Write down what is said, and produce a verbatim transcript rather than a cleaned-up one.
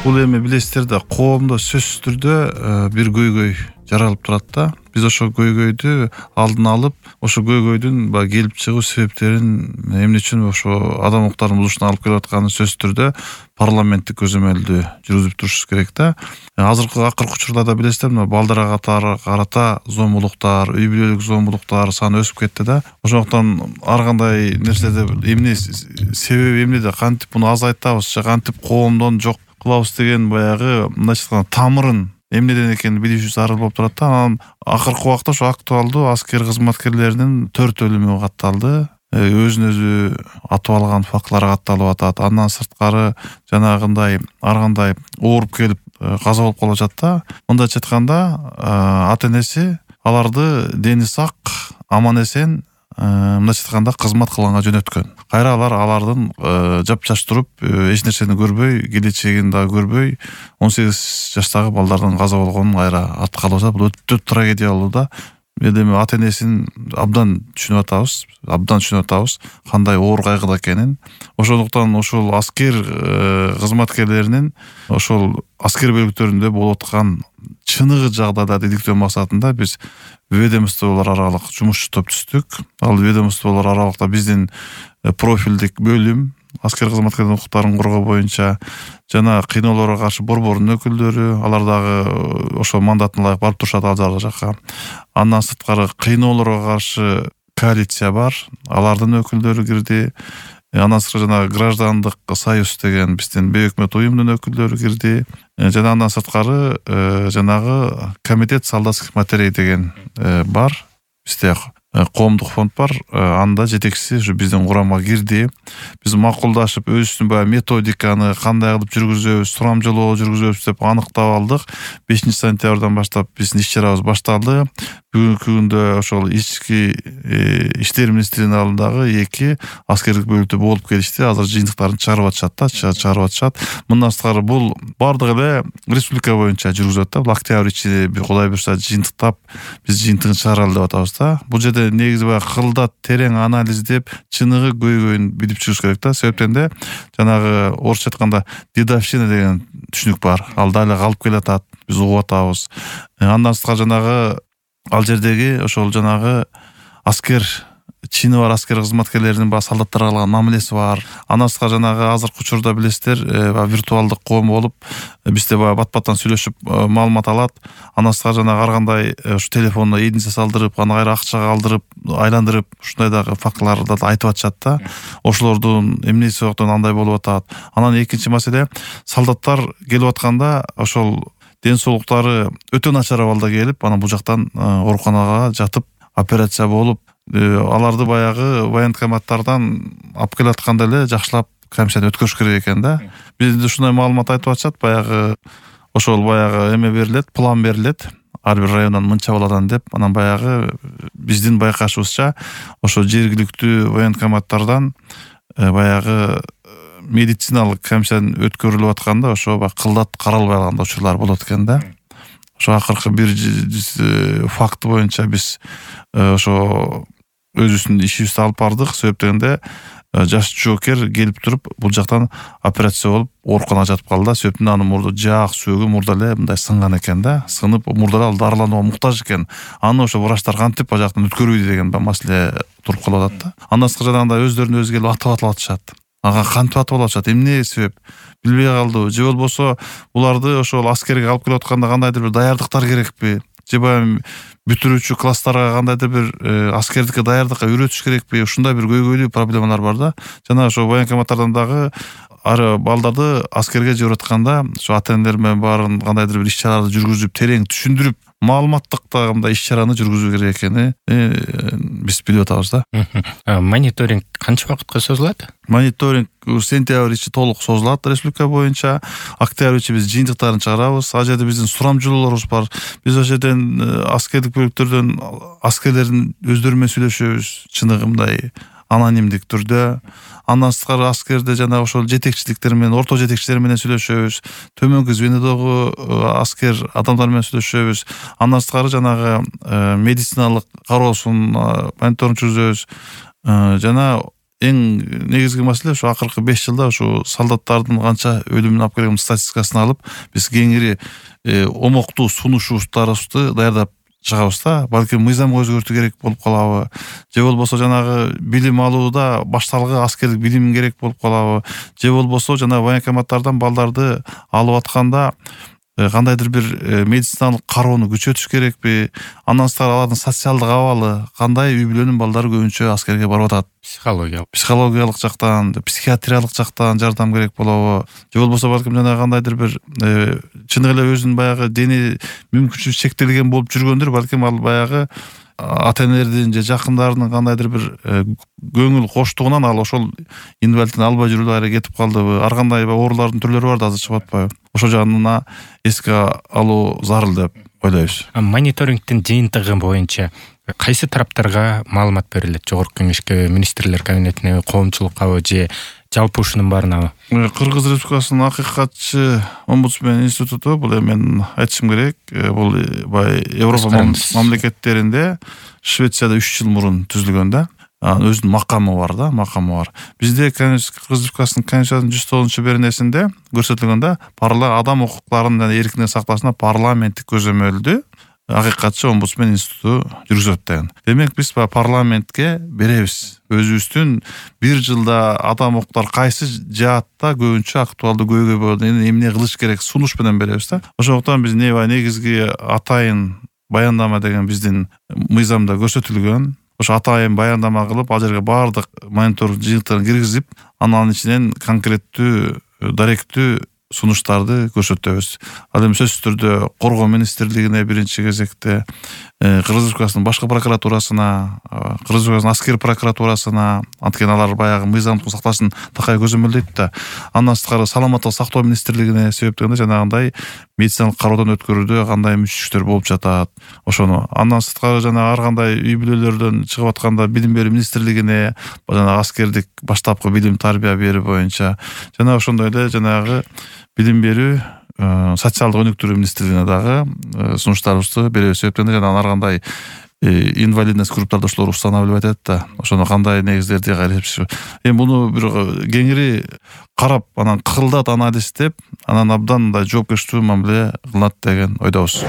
Бул эми билесиздер да, коомдо сөзсүз түрдө бир көйгөй жаралып турат да. Биз ошол көйгөйдү алдын алып, ошо көйгөйдүн баягы келип чыгуу себептерин, эмне үчүн ошо адам укуктарын бузушуна алып келип атканын сөзсүз түрдө парламенттик көзөмөлдү жүргүзүп турушубуз керек да. Азыркы акыркы учурларда билесиздер, мына балдарга карата зомбулуктар, үй бүлөлүк зомбулуктар саны өсүп кетти да. Ошондуктан ар кандай нерседе эмне себеби эмнеде, кантип муну азайтабыз же кантип коомдон жок кылабыз деген баягы мындайча айтканда тамырын эмнеден экенин билишибиз зарыл болуп турат да. Анан акыркы убакта ошо актуалдуу аскер кызматкерлеринин төрт өлүмү катталды. Өзүн өзү атып алган фактылар катталып атат. Андан сырткары жанагындай ар кандай ооруп келип каза болуп калып атат да. Мындайча айтканда, ата энеси аларды дени сак, аман эсен мындайча айтканда кызмат кылганга жөнөткөн. Кайра алар алардын жапжаш туруп, эч нерсени көрбөй, келечегин дагы көрбөй, он сегиз жаштагы балдардын каза болгонун кайра артка калып атат. Бул өтө трагедиялуу да. Эми ата энесин абдан түшүнүп атабыз, абдан түшүнүп атабыз кандай оор кайгыда экенин. Ошондуктан ошол аскер кызматкерлеринин ошол аскер бөлүктөрүндө болуп аткан чыныгы жагдайда иликтөө максатында биз ведомстволор аралык жумушчу топ түздүк. Ал ведомстволор аралыкта биздин профилдик бөлүм, аскер кызматкерлеринин укуктарын коргоо боюнча жана кыйноолорго каршы борбордун өкүлдөрү, алар дагы ошол мандатына ылайык барып турушат ал жакка. Андан сырткары кыйноолорго каршы коалиция бар, алардын өкүлдөрү кирди. Андан сырткары жана граждандык союз деген биздин бейөкмөт уюмдун өкүлдөрү кирди. Жана андан сырткары жанагы комитет солдатских матерей деген бар. Бизде коомдук фонд бар, анда жетекчиси ушу биздин курамга кирди. Биз макулдашып, өзүбүздүн баягы методиканы кандай кылып жүргүзөбүз, сурамжылоо жүргүзөбүз деп аныктап алдык. бешинчи сентябрдан баштап биздин иш-чарабыз башталды. Бүгүнкү күндө ошол ички иштер министрлигинин алдындагы эки аскерлик бөлүктө болуп келишти. Азыр жыйынтыктарын чыгарып атышат да, чыгарып атышат. Мындан сырткары бул бардыгы эле республика боюнча жүргүзүлөт да. Бул октябрь ичи Кудай буйрса жыйынтыктап биз жыйынтыгын чыгаралы деп атабыз да. Бул жерде негизи баягы кылдат, терең анализдеп, чыныгы көйгөйүн билип чыгыш керек да. Себептен де жанагы орусча айтканда дедовщина деген түшүнүк бар. Ал дагы калып келатат, биз угуп атабыз. Андан сырткары жанагы ал жердеги ошол жанагы аскер чини бар аскер кызматкерлеринин баягы солдаттарга кылган мамилеси бар. Андан сырткары жанагы азыркы учурда билесиздер, виртуалдык коом болуп, бизде баягы бат-баттан сүйлөшүп маалымат алат. Андан сырткары жанагы ар кандай ушу телефонуна эдинсе салдырып, аны кайра акчага алдырып, айландырып, ушундай дагы фактыларды да айтып атышат да. Ошолордун эмнеси соктон андай болуп атат. Анан экинчи маселе, солдаттар келип атканда ошол ден соолуктары өтө начар абалда келип, анан бул жактан ооруканага жатып, операция болуп, аларды баягы военкоматтардан алып келатканда эле жакшылап комиссиядан өткөрүш керек экен да. Бизде ушундай маалымат айтып атышат, баягы ошол баягы эме берилет, план берилет. Ар бир райондон мынча баладан деп, анан баягы биздин байкашыбызча ошо жергиликтүү военкоматтардан баягы медициналык комиссиядан өткөрүлүп атканда ошо баягы кылдат каралбай калган учурлар болот экен да. Ошо акыркы бир факты боюнча биз ошо өзүбүздүн ишибизди алып бардык. Себептен жаш жоокер келип туруп бул жактан операция болуп ооруканага жатып калды да. Себептен анын мурду жаак сөөгү мурда эле мындай сынган экен да. Сынып мурда эле ал дарыланууга муктаж экен. Аны ошо врачтар кантип ал жактан өткөрбөйдү деген маселе туруп калып атат да. Андан сырткары жанагындай өздөрүнө өзү келип атып атып атышат. Ага кантип атып атышат, эмне себеп билбей калдыбы, же болбосо буларды ошол аскерге алып келип атканда кандайдыр бир даярдыктар керекпи, же баягы бүтүрүүчү класстарга кандайдыр бир аскердикке даярдыкка үйрөтүш керекпи? Ушундай бир көйгөйлүү проблемалар бар да. Жана ошо военкоматтардан дагы ар балдарды аскерге жиберип атканда ошо ата энелер менен баарын кандайдыр бир иш-чараларды жүргүзүп, терең түшүндүрүп, маалыматтык да мындай иш-чараны жүргүзүү керек экени биз билип атабыз да. Мониторинг канча убакытка созулат? Мониторинг сентябрь ичи толук созулат республика боюнча. Октябрь ичи биз жыйынтыктарын чыгарабыз. Ал жерде биздин сурамжылоолорубуз бар. Биз ошол жерден аскерлик бөлүктөрдөн аскерлердин өздөрү менен сүйлөшөбүз, чыныгы мындай анонимдик түрдө. Андан сырткары аскерде жана ошол жетекчиликтер менен, орто жетекчилер менен сүйлөшөбүз. Төмөнкү звенодогу аскер адамдар менен сүйлөшөбүз. Андан сырткары жанагы медициналык кароосун мониторинг жүргүзөбүз. Жана эң негизги маселе ушу акыркы беш жылда ушу солдаттардын канча өлүмүн алып келген статистикасын алып биз кеңири омоктуу сунушубуздарыбызды даярдап чыгабыз да. Балким мыйзамга өзгөртүү керек болуп калабы, же болбосо жанагы билим алууда башталгы аскерлик билим керек болуп калабы, же болбосо жанагы военкоматтардан балдарды алып атканда кандайдыр бир медициналык кароону күчөтүш керекпи, андан сырткары алардын социалдык абалы кандай, үй бүлөнүн балдары көбүнчө аскерге барып атат. Психологиялык психологиялык жактан, психиатриялык жактан жардам керек болобу, же болбосо балким жана кандайдыр бир чын эле өзүнүн баягы дене мүмкүнчүлүгү чектелген болуп жүргөндөр, балким ал баягы ата-энелердин же жакындарынын кандайдыр бир көңүл коштугунан ал ошол инвалидтин албай жүрүүгө аракет калдыбы, ар кандай оорулардын түрлөрү бар да азыр чыгып атпайбы. Ошол жагына эске алуу зарыл деп ойлойбуз. Мониторингдин жыйынтыгы боюнча кайсы тараптарга маалымат берилет? Жогорку кеңешке, министрлер кабинетине, коомчулуккабы же жалпы ушунун баарынабы? Кыргыз Республикасынын акыйкатчы омбудсмен институту, бул эми мен айтышым керек, бул бай Европа мамлекеттеринде, Швецияда үч жыл мурун түзүлгөн да. Өзүнүн макамы бар да, макамы бар. Бизде Кыргыз Республикасынын Конституциясынын жүз тогузунчу беренесинде көрсөтүлгөн да, парла адам укуктарын жана эркиндигин сакташына парламенттик көзөмөлдү акыйкатчы омбудсмен институту жүргүзөт деген. Демек биз парламентке беребиз. Өзүбүздүн бир жылда адам укуктар кайсы жаатта көбүнчө актуалдуу көйгөй болот, эмне кылыш керек сунуш менен беребиз да. Ошондуктан биз не негизги атайын баяндама деген биздин мыйзамда көрсөтүлгөн. Ошо атайын баяндама кылып, ал жерге баардык мониторинг жыйынтыгын киргизип, анын ичинен конкреттүү, даректүү сунуштарды көрсөтөбүз. Ал эми сөзсүз түрдө коргоо министрлигине биринчи кезекте, Кыргыз Республикасынын башкы прокуратурасына, Кыргыз Республикасынын аскер прокуратурасына, анткени алар баягы мыйзамдык сакташын такай көзөмөлдөйт да. Андан сырткары саламаттык сактоо министрлигине себеп дегенде жанагындай медициналык кароодон өткөрүүдө кандай мүчүлүктөр болуп жатат. Ошону андан сырткары жана ар кандай үй бүлөлөрдөн чыгып атканда билим берүү министрлигине, жана аскердик баштапкы билим тарбия берүү боюнча, жана ошондой эле жанагы билим берүү социалдык өнүктүрүү министрлигине дагы сунуштарыбызды беребиз. Себептен жана ар кандай инвалидность группаларды ошолор устанавливать этет да. Ошону кандай негиздерди кайрып, эми буну бир кеңири карап, анан кылдат анализ деп, анан абдан мындай жоопкерчиликтүү мамиле кылынат деген ойдобуз.